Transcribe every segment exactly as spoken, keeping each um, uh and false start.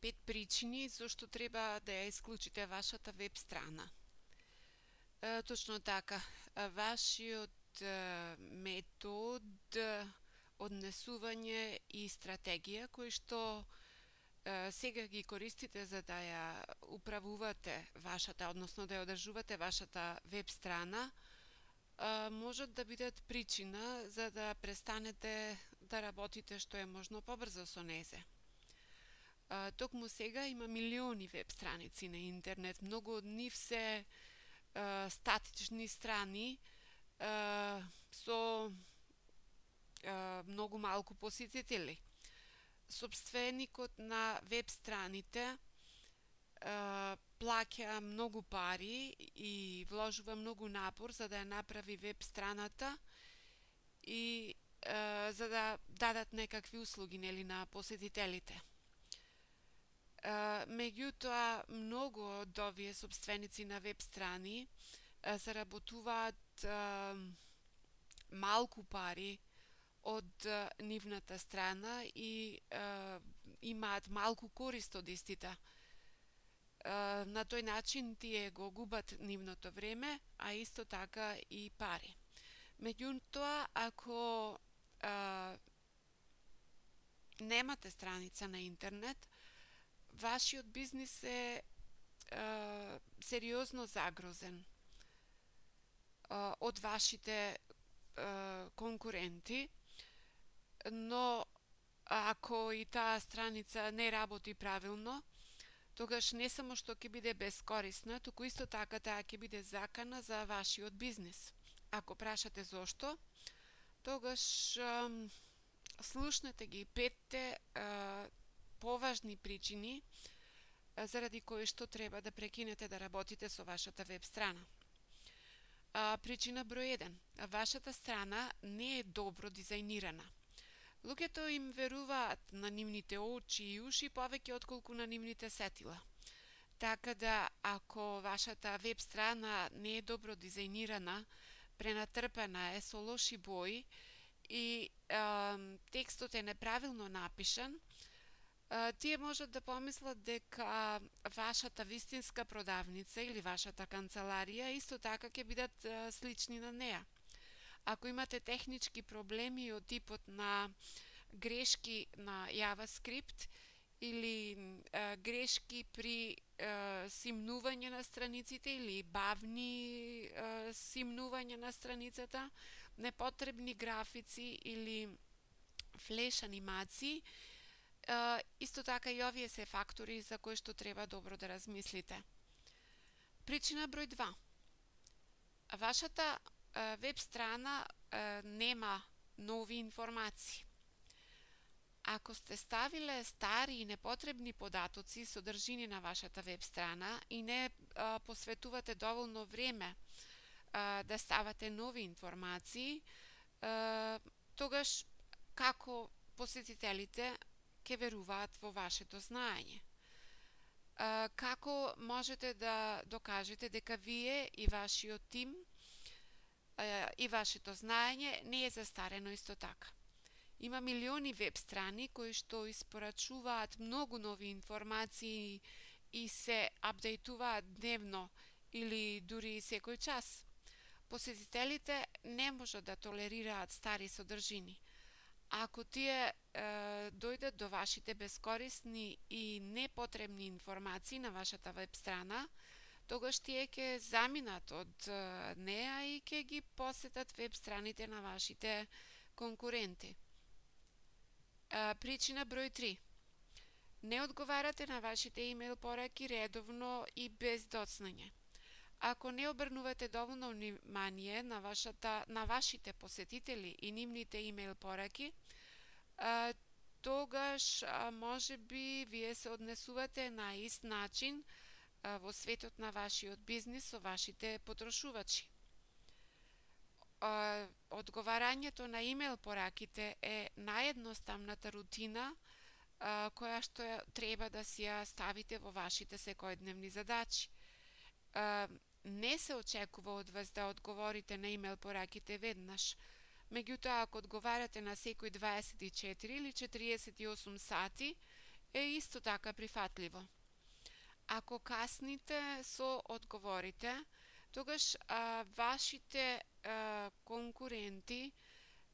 пет причини зашто треба да ја исклучите вашата веб страна. Е, точно така, вашиот е, метод однесување и стратегија кој што е, сега ги користите за да ја управувате вашата, односно да ја одржувате вашата веб страна, е, можат да бидат причина за да престанете да работите што е можно побрзо со незе. Uh, токму сега има милиони веб страници на интернет, многу од нив се uh, статични страни uh, со uh, многу малку посетители. Собственикот на веб страните uh, плаќа многу пари и вложува многу напор за да ја направи веб страната и uh, за да дадат некакви услуги, нели, на посетителите. Uh, меѓутоа, многу од овие собственици на веб страни uh, заработуваат uh, малку пари од uh, нивната страна и uh, имаат малку корист од истите. Uh, на тој начин тие го губат нивното време, а исто така и пари. Меѓутоа, ако uh, немате страница на интернет, вашиот бизнис е, е сериозно загрозен е, од вашите е, конкуренти, но ако и таа страница не работи правилно, тогаш не само што ќе биде безкорисна, туку исто така таа ќе биде закана за вашиот бизнис. Ако прашате зошто, тогаш е, слушнете ги петте е, поважни причини заради кои што треба да прекинете да работите со вашата веб страна. А, причина број еден. Вашата страна не е добро дизајнирана. Луѓето им веруваат на нивните очи и уши повеќе отколку на нивните сетила. Така да, ако вашата веб страна не е добро дизајнирана, пренатрпена е со лоши бои и а, текстот е неправилно напишан, тие можат да помислат дека вашата вистинска продавница или вашата канцеларија исто така ќе бидат слични на неа. Ако имате технички проблеми од типот на грешки на JavaScript или а, грешки при а, симнување на страниците или бавни а, симнување на страницата, непотребни графици или флеш анимации, Uh, исто така и овие се фактори за кои што треба добро да размислите. Причина број два. Вашата uh, веб страна uh, нема нови информации. Ако сте ставиле стари и непотребни податоци содржини на вашата веб страна и не uh, посветувате доволно време uh, да ставате нови информации, uh, тогаш како посетителите ќе веруваат во вашето знаење? А, како можете да докажете дека вие и вашиот тим а, и вашето знаење не е застарено исто така? Има милиони веб страни кои што испорачуваат многу нови информации и се апдейтуваат дневно или дури секој час. Посетителите не можат да толерираат стари содржини. Ако тие е, дојдат до вашите безкорисни и непотребни информации на вашата веб страна, тогаш тие ќе заминат од е, неа и ќе ги посетат веб страните на вашите конкуренти. Е, причина број три. Не одговарате на вашите имејл пораки редовно и без доцнање. Ако не обрнувате доволно внимание на, вашата, на вашите посетители и нивните имејл пораки, а, тогаш а, може би вие се однесувате на ист начин а, во светот на вашиот бизнис со вашите потрошувачи. А, одговарањето на имејл пораките е наједноставната рутина а, која што треба да си ја ставите во вашите секојдневни задачи. Uh, не се очекува од вас да одговорите на имејл пораките веднаш. Меѓутоа, ако одговарате на секој дваесет и четири или четириесет и осум сати, е исто така прифатливо. Ако касните со одговорите, тогаш а, вашите а, конкуренти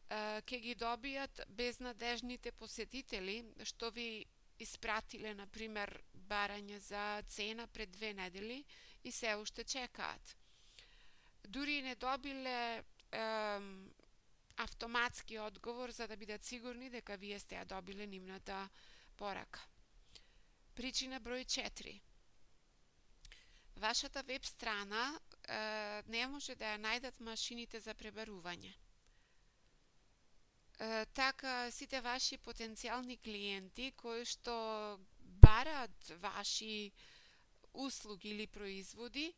а, ќе ги добијат безнадежните посетители што ви испратиле, например, барање за цена пред две недели и се уште чекаат. Дури не добиле ем, автоматски одговор за да бидат сигурни дека вие сте ја добиле нивната порака. Причина број четири. Вашата веб страна е, не може да ја најдат машините за пребарување. Е, така, сите ваши потенцијални клиенти кои што бараат ваши услуги или производи,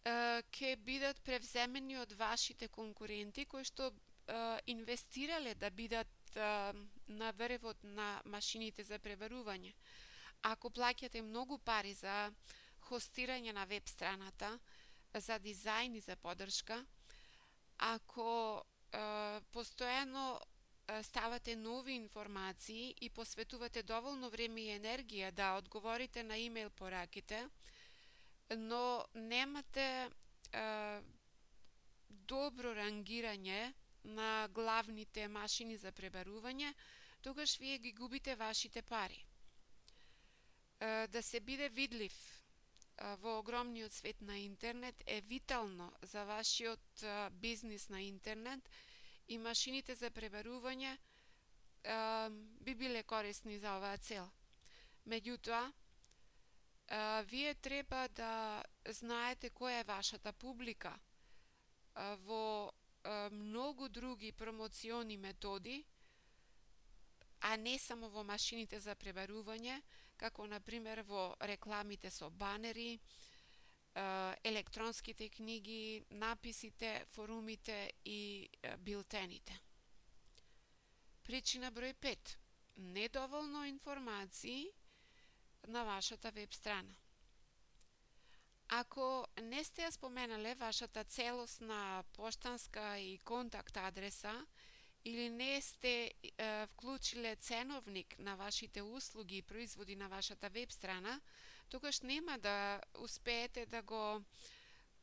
ќе бидат превземени од вашите конкуренти кои што е, инвестирале да бидат е, на врвот на машините за пребарување. Ако плаќате многу пари за хостирање на веб страната, за дизајн и за поддршка, ако е, постојано ставате нови информации и посветувате доволно време и енергија да одговорите на имейл пораките, но немате е, добро рангирање на главните машини за пребарување, тогаш вие ги губите вашите пари. Е, да се биде видлив е, во огромниот свет на интернет е витално за вашиот е, бизнис на интернет и машините за пребарување е, би биле корисни за оваа цел. Меѓутоа, Uh, вие треба да знаете која е вашата публика uh, во uh, многу други промоциони методи, а не само во машините за пребарување, како например во рекламите со банери, uh, електронските книги, написите, форумите и uh, билтените. Причина број пет. Недоволно информации на вашата веб страна. Ако не сте ја споменале вашата целосна поштанска и контакт адреса или не сте е, вклучиле ценовник на вашите услуги и производи на вашата веб страна, тогаш нема да успеете да го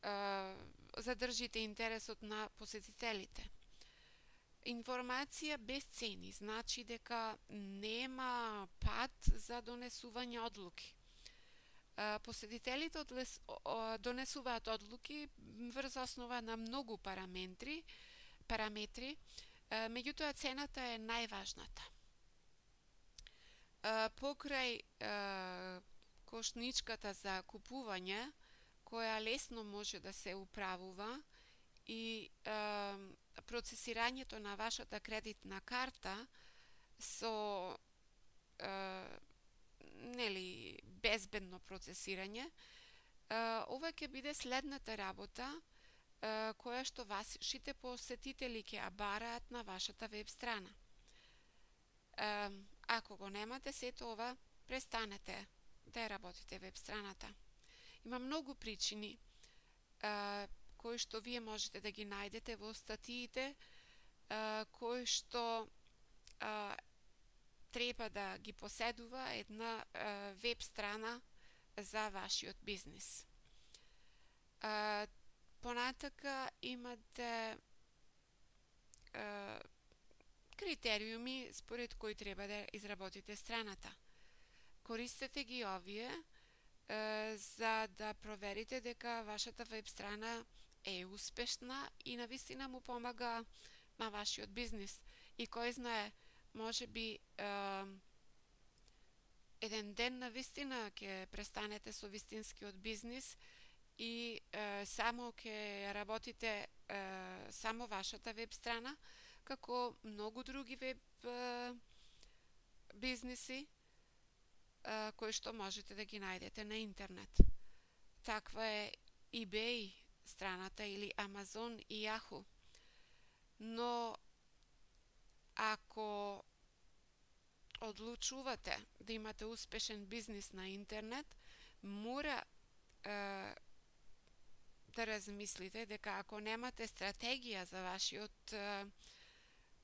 е, задржите интересот на посетителите. Информација без цени значи дека нема пат за донесување одлуки. Посетителите донесуваат одлуки врз основа на многу параметри, параметри, меѓутоа цената е најважната. Покрај кошничката за купување, која лесно може да се управува, и е, процесирањето на вашата кредитна карта со е, нели безбедно процесирање, е, ова ќе биде следната работа е, која што вашите посетители ќе ја бараат на вашата веб страна. Е, ако го немате сето ова, престанете да ја работите веб страната. Има многу причини е, кои што вие можете да ги најдете во статиите, кои што а, треба да ги поседува една а, веб страна за вашиот бизнис. А, понатака имате а, критериуми според кои треба да изработите страната. Користете ги овие а, за да проверите дека вашата веб страна е успешна и навистина му помага на вашиот бизнис. И кој знае, може би е, еден ден навистина ќе престанете со вистинскиот бизнис и е, само ќе работите е, само вашата веб страна, како многу други веб е, бизниси е, кои што можете да ги најдете на интернет. Таква е eBay страната или Amazon и Yahoo. Но ако одлучувате да имате успешен бизнис на интернет, мора е, да размислите дека ако немате стратегија за вашиот е,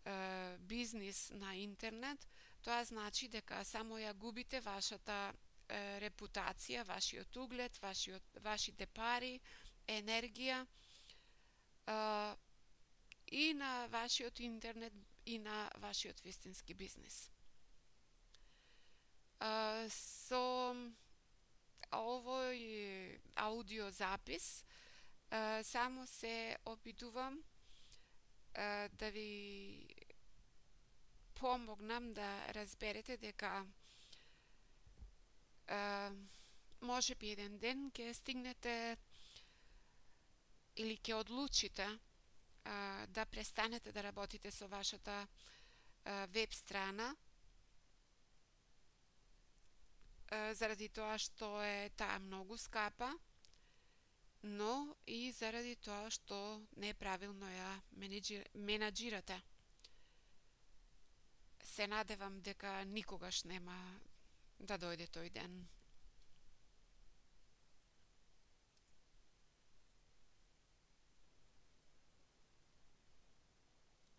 е, бизнис на интернет, тоа значи дека само ја губите вашата е, репутација, вашиот углед, вашиот, вашите пари, енергија е, и на вашиот интернет и на вашиот вистински бизнис. Е, со овој аудиозапис е, само се обидувам е, да ви помогнам да разберете дека е, може би еден ден ќе стигнете или ќе одлучите е, да престанете да работите со вашата е, веб страна е, заради тоа што е таа многу скапа, но и заради тоа што неправилно ја менаџирате. Се надевам дека никогаш нема да дојде тој ден.